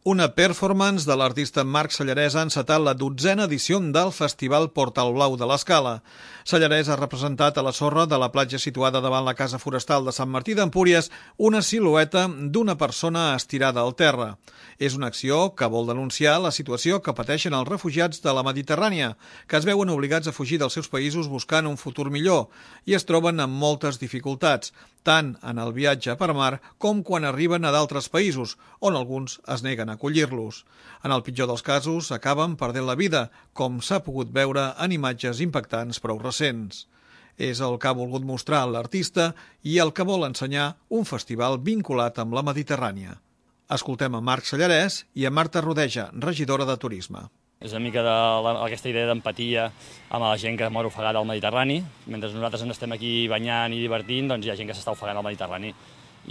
Una performance de l'artista Marc Sallarès ha encetat la 12a edició del Festival Portal Blau de l'Escala. Sallarès ha representat a la sorra de la platja situada davant la Casa Forestal de Sant Martí d'Empúries una silueta d'una persona estirada al terra. És una acció que vol denunciar la situació que pateixen els refugiats de la Mediterrània, que es veuen obligats a fugir dels seus països buscant un futur millor i es troben amb moltes dificultats, tant en el viatge per mar com quan arriben a d'altres països, on alguns es neguen a acollir-los. En el pitjor dels casos, acaben perdent la vida, com s'ha pogut veure en imatges impactants prou recents. És el que ha volgut mostrar l'artista i el que vol ensenyar un festival vinculat amb la Mediterrània. Escoltem a Marc Sallarès i a Marta Rodeja, regidora de Turisme. És una mica aquesta idea d'empatia amb la gent que mor ofegada al Mediterrani. Mentre nosaltres ens estem aquí banyant i divertint, doncs hi ha gent que s'està ofegant al Mediterrani.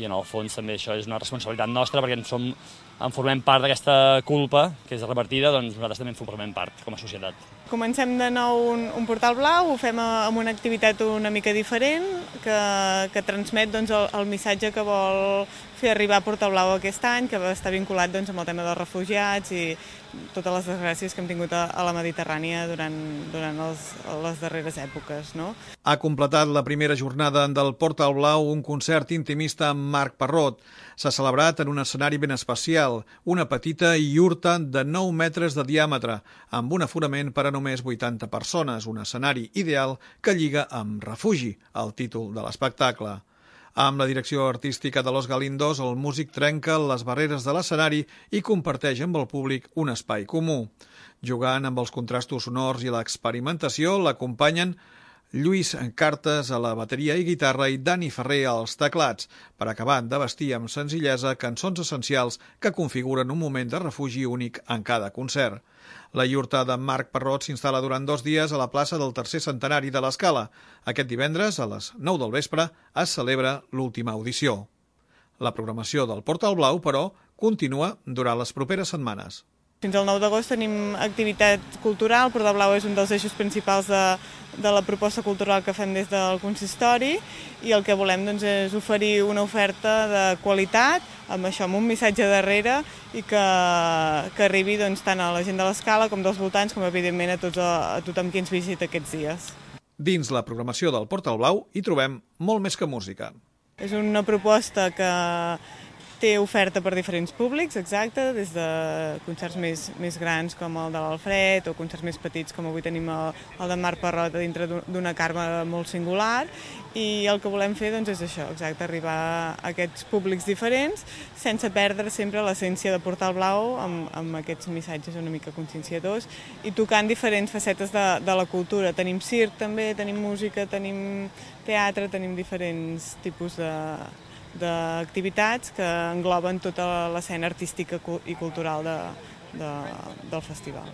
I en el fons també això és una responsabilitat nostra perquè en formem part d'aquesta culpa que és repartida, doncs nosaltres també en formem part com a societat. Comencem de nou un portal blau, ho fem amb una activitat una mica diferent que transmet el missatge que vol fer arribar Portal Blau aquest any, que està vinculat amb el tema dels refugiats i totes les desgràcies que hem tingut a la Mediterrània durant les darreres èpoques. No? Ha completat la primera jornada del Portal Blau un concert intimista amb Marc Parrot. S'ha celebrat en un escenari ben especial, una petita iurta de 9 metres de diàmetre, amb un aforament per a només 80 persones, un escenari ideal que lliga amb Refugi, el títol de l'espectacle. Amb la direcció artística de Los Galindos, el músic trenca les barreres de l'escenari i comparteix amb el públic un espai comú. Jugant amb els contrastos sonors i l'experimentació, l'acompanyen Lluís Cartes a la bateria i guitarra i Dani Ferrer als teclats, per acabar de vestir amb senzillesa cançons essencials que configuren un moment de refugi únic en cada concert. La iurta de Marc Parrot s'instal·la durant 2 dies a la plaça del tercer centenari de l'Escala. Aquest divendres, a les 9 del vespre, es celebra l'última audició. La programació del Portal Blau, però, continua durant les properes setmanes. Fins al 9 d'agost tenim activitat cultural. Portal Blau és un dels eixos principals de la proposta cultural que fem des del consistori i el que volem és oferir una oferta de qualitat amb un missatge darrere i que arribi tant a la gent de l'Escala com dels voltants com evidentment a tothom qui ens visita aquests dies. Dins la programació del Portal Blau hi trobem molt més que música. És una proposta que té oferta per diferents públics, exacte, des de concerts més grans com el de l'Alfred o concerts més petits com avui tenim el de Marc Parrot dintre d'una carme molt singular i el que volem fer és això, exacte, arribar a aquests públics diferents sense perdre sempre l'essència de Portal Blau amb aquests missatges una mica conscienciadors i tocant diferents facetes de la cultura. Tenim circ també, tenim música, tenim teatre, tenim diferents tipus d'activitats que engloben tota l'escena artística i cultural del festival.